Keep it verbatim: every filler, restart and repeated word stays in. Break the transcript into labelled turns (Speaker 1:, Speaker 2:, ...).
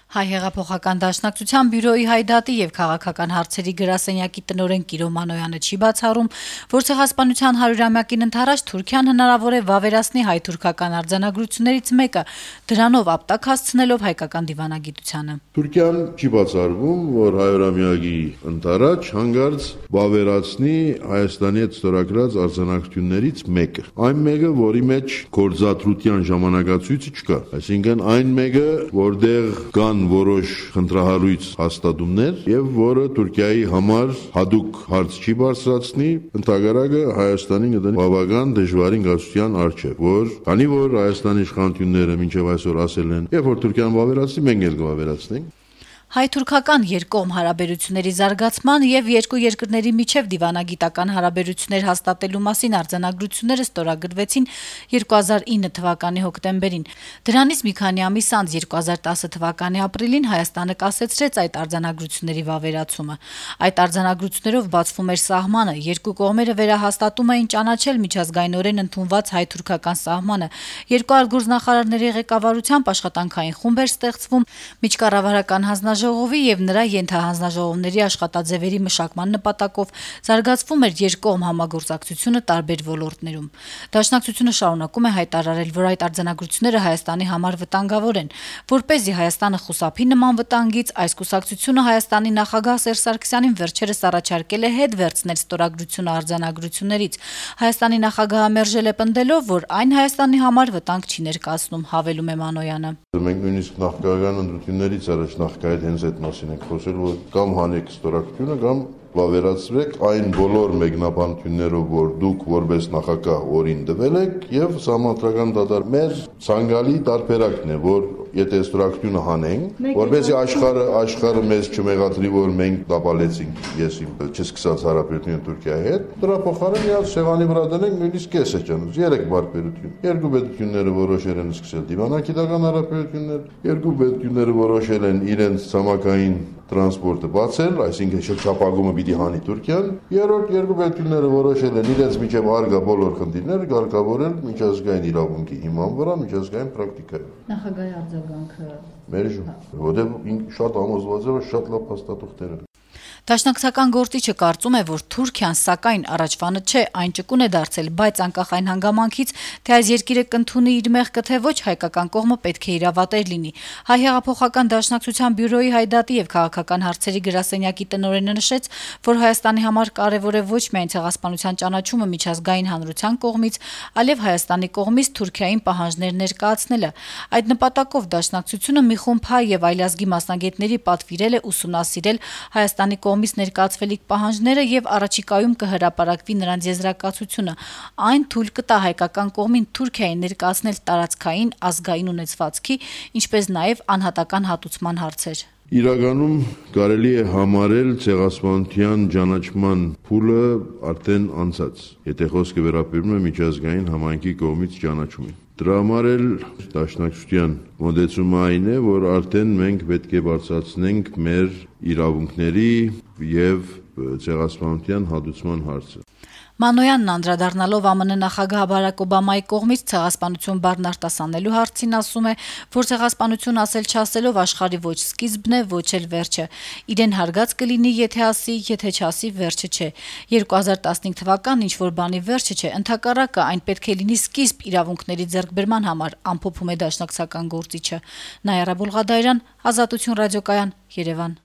Speaker 1: Հայ հեղափոխական դաշնակցության բյուրոյի հայդատի եւ քաղաքական հարցերի գրասենյակի տնօրեն Կիրո Մանոյանը չի բացառում, որ ցեղասպանության հարյուրամյակին ընթരാճ Թուրքիան հնարավոր է վավերացնի հայ-թուրքական արձանագրություններից մեկը, դրանով ապտակ հասցնելով հայկական դիվանագիտությանը։
Speaker 2: Թուրքիան չի բացառվում, որ հարյուրամյակի ընթരാճ հանգարց վավերացնի Հայաստանի հետ ստորագրած արձանագրություններից մեկը։ Այն մեկը, որի մեջ գործադրության ժամանակացույցը չկա, այսինքն այն մեկը, որտեղ կան որոշ խնդրահարույց հաստատումներ եւ որը Թուրքիայի համար հadoop հարց չի բարձրացնի, ընդհանրակը Հայաստանին կդնի բավական դժվարին գացության առջեւ, որ քանի որ Հայաստանի իշխանությունները մինչեւ այսօր ասել են, երբ որ Թուրքիան վավերացնի, մենք էլ կվավերացնենք։
Speaker 1: Հայ-թուրքական երկկողմ հարաբերությունների զարգացման եւ երկու երկրների միջև դիվանագիտական հարաբերություններ հաստատելու մասին արձանագրությունները ստորագրվեցին երկու հազար ինը թվականի հոկտեմբերին։ Դրանից մի քանի ամիս անց երկու հազար տասը թվականի ապրիլին Հայաստանը կասեցրեց այդ արձանագրությունների վավերացումը։ Այդ արձանագրություններով բացվում էր սահմանը, երկու կողմերը վերահաստատում էին ճանաչել միջազգայինորեն ընդունված հայ-թուրքական սահմանը։ Երկու այլ գործնախարարների ղեկավարությամբ աշխատանքային խումբ էր ստեղծվում միջկառավարական հանձնաժողովի ժողովի եւ նրա ենթահանձնաժողովների աշխատաձևերի մշակման նպատակով զարգացվում էր երկկողմ համագործակցությունը տարբեր ոլորտներում։ Դաշնակցությունը շարունակում է հայտարարել, որ այդ արձանագրությունները Հայաստանի համար վտանգավոր են, որպեսզի Հայաստանը խուսափի նման վտանգից, այս կուսակցությունը Հայաստանի նախագահ Սերժ Սարգսյանին վերջերս առաջարկել է հետ վերցնել ստորագրությունը արձանագրություններից։ Հայաստանի նախագահը մերժել է պնդելով, որ այն Հայաստանի համար վտանգ չի ներկայացնում, հավելում է Մանոյանը։
Speaker 2: Մենք նույնիսկ նախագահական ընտրություններից առաջ նախագահի հենց այդ մասին ենք խոսել, որ կամ հանեք ստորագրությունը, կամ վավերացրեք այն բոլոր մեկնաբանություններով, որ դուք որպես նախագահ օրին տվել եք, եւ համապատասխան դատար մեր ցանկալի տարբերակն է, որ եթե ստորագրությունը հանենք, որպեսզի աշխարհը աշխարհը մեզ չմեղադրի, որ մենք տապալեցինք ես իմ չսկսած հարաբերությունը Թուրքիայի հետ, դրա փոխարեն միած շեղանի վրա դնենք նույնիսկ կեսը ճանաչ, երեք բարբերություն։ Երկու պետությունները որոշել են սկսել դիվանագիտական հարաբերություններ, երկու պետությունները որոշել են իրենց ցամաքային տրանսպորտը բացել, այսինքն շրջապագումը պիտի հանի Թուրքիան, երրորդ երկու պետությունները որոշել են իրենց միջև արգա բոլոր խնդիրները կարգավորել միջազգային իրավունքի հիման վրա, միջազգային պրակտիկայով։
Speaker 1: Նախագահի արձագանքը
Speaker 2: մերժում, որովհետև շատ համոզված է, որ շատ լավ փաստաթղթեր են։
Speaker 1: Դաշնակցական գործիչը կարծում է, որ Թուրքիան սակայն առաջվանը չէ, այն ճկուն է դարձել, բայց անկախ այն հանգամանքից, թե այս երկիրը կընդունի իր մեղքը, թե ոչ, հայկական կողմը պետք է իրավատեր լինի։ Հայ հեղափոխական դաշնակցության բյուրոյի հայդատի եւ քաղաքական հարցերի գրասենյակի տնօրենը նշեց, որ Հայաստանի համար կարեւոր է ոչ միայն ցեղասպանության ճանաչումը միջազգային հանրության կողմից, այլև Հայաստանի կողմից Թուրքիային պահանջներ ներկայացնելը։ Այդ նպատակով դաշնակցությունը մի խումբ հայ եւ այլազգի մասնագետների պատվիրել է ուսումնասիրել Հայաստանի կողմից ներկայացվելիք պահանջները եւ առաջիկայում կհրապարակվի նրանց եզրակացությունը։ Այն թույլ կտա հայկական կողմին Թուրքիային ներկայացնել տարածքային ազգային ունեցվածքի, ինչպես նաեւ անհատական հատուցման հարցեր։
Speaker 2: Իրականում կարելի է համարել ցեղասպանության ճանաչման փուլը արդեն անցած, եթե խոսքը վերաբերում է միջազգային համայնքի կողմից ճանաչումին։ Դրա համար էլ դաշնակցության մոտեցումը այն է, որ արդեն մենք պետք է բարձրացնենք մեր իրավունքների եւ ցեղասպանության հատուցման հարցը։
Speaker 1: Մանոյանն անդրադառնալով ԱՄՆ նախագահ Բարակ Օբամայի կողմից ցեղասպանություն բառն արտասանելու հարցին ասում է, որ ցեղասպանություն ասել չասելով աշխարհի ոչ սկիզբն է, ոչ էլ վերջը։ Իրեն հարգած կլինի, եթե ասի, եթե չասի, վերջը չէ։ երկու հազար տասնհինգ թվականն ինչ որ բանի վերջը չէ, ընդհակառակը այն պետք է լինի սկիզբ իրավունքների ձեռքբերման համար, ամփոփում է դաշնակցական գործիչը։ Նայարա Բուլղադարյան, Ազատություն ռադիոկայան, Երևան։